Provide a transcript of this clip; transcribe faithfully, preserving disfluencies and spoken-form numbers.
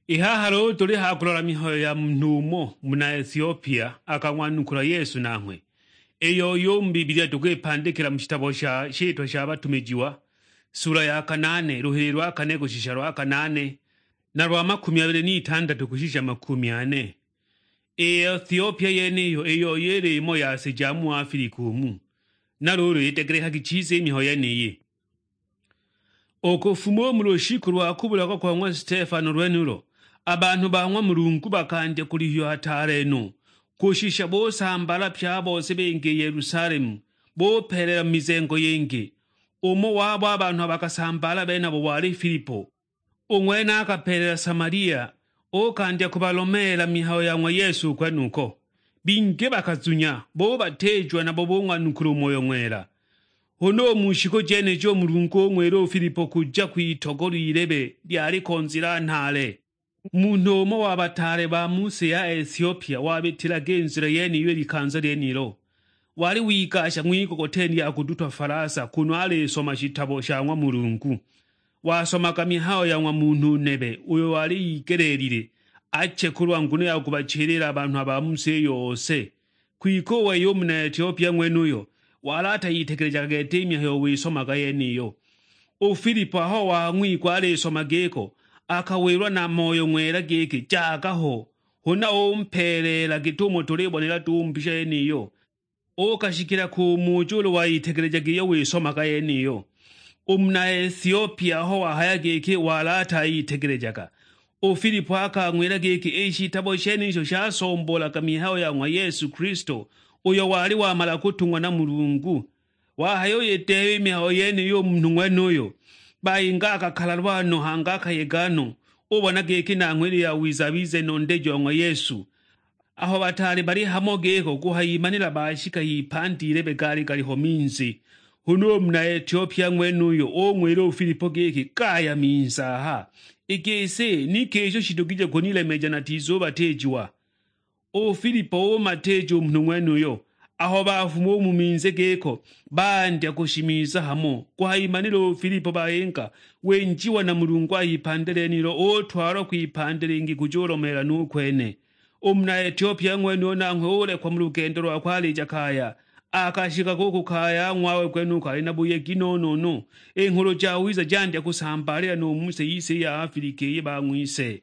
I haha luulu tuli ha kulola mihayo ya munhu umo muna Etiopia akang'wanukula Yesu nanghwe, iyo uyu u mu Bibilia tukwipandikila mu shitabo sha Shitwa sha Batumijiwa, sula ya kanaane, luhili lwa kane kushisha lwa kanaane, na lwa makumi abili n'itandatu kushisha makumi ane. I Etiopia yeniyo iyo yili imo ya si ja mu Afilika umu. Na luulu itegelekagi chiza i mihayo yeniyi. U kufuma u mu lushiku lwa kubulagwa kwa ng'wa Stefano lwenulo, a banhu ba ng'wa Mulungu bakandya kulihiwa hataale no, kushisha busambaala pye a bose binga i Yelusalemu, bupeeleela mu mizengo yingi. Umo wabo a banhu a bakasambaala benabo wali Filipo. U ng'wene akapeelela Samalia, uukandya kubalomeela mihayo ya ng'wa Yesu u kwenuko. Bingi bakazunya, bubatiijiwa nabo bung'wanukula u Moyo Ng'wela. Huna u mu shiku jenijo u Mulungu ung'wila u Filipo kuja kwitogolo ilebe lyaliko nzila nhaale. Munhu umo wa bataale ba mu si ya Etiopia wabitilaga i nzila yeniyo i likanza lyenilo. Wali wigasha ng'wigogoteni ya kudutwa falasa kunu alisoma shitabo sha ng'wa Mulungu. Wasomaga mihayo ya ng'wa munhu nebe uyo wali igeleelile ache kulwa nguno ya kubachilila a banhu a ba mu si yose. Kwike u wei u muna Etiopia ng'wenuyo wali atayitegelejaga gete i mihayo wisomaga yeniyo. U Filipo aho wang'wigwa alisoma giko, akawilwa na Moyo Ng'wela giki, "Jaga ho!" Huna umpeeleela git'umo tulibonela duhu mbisha yeniyo. Uukashikila kumuja ulu wayitegelejaga iyo wisomaga yeniyo. U muna Etiopia aho wahaya giki wali atayitegelejaga, u Filipo akang'wila giki i shitabo shenisho shasomboolaga mihayo ya ng'wa Yesu Kilisto, uyo wali wamala kutung'wa na Mulungu. Wahayuyideeba i mihayo yeniyo u munhu ng'wenuyo, bayinga akakalalwa no, hangi akayega no, ubona giki nanghwe ili yawiza abize nondeji wa ng'wa Yesu. Aho bataali bali hamo giko kuhayimanila bashika h'ipandi ilebe gaali galiho minzi. Huna u muna Etiopia ng'wenuyo ung'wila u Filipo giki, "Gaya minzi aha, i gisi ni ki isho shidugije kunilemeja natizubatiijiwa?" U Filipo umatiija u munhu ng'wenuyo. Aho bafuma u mu minzi giko, bandya kushimiza hamo. Kuhayimanila u Filipo bayinga, winjiwa na Mulungu a h'ipandi lyenilo, utwalwa kwipandi lingi kujulomeela nu kwene. U muna Etiopia ng'wenuyo nanghwe ulekwa mu lugendo lwakwe alija kaya. Akashikaga u ku kaya ng'wawe kwenuko ali na buyegi no-no-no. I Nghulu Jawiza jandya kusambaalila nu mu si yise i ya Afilika iyi bang'wise.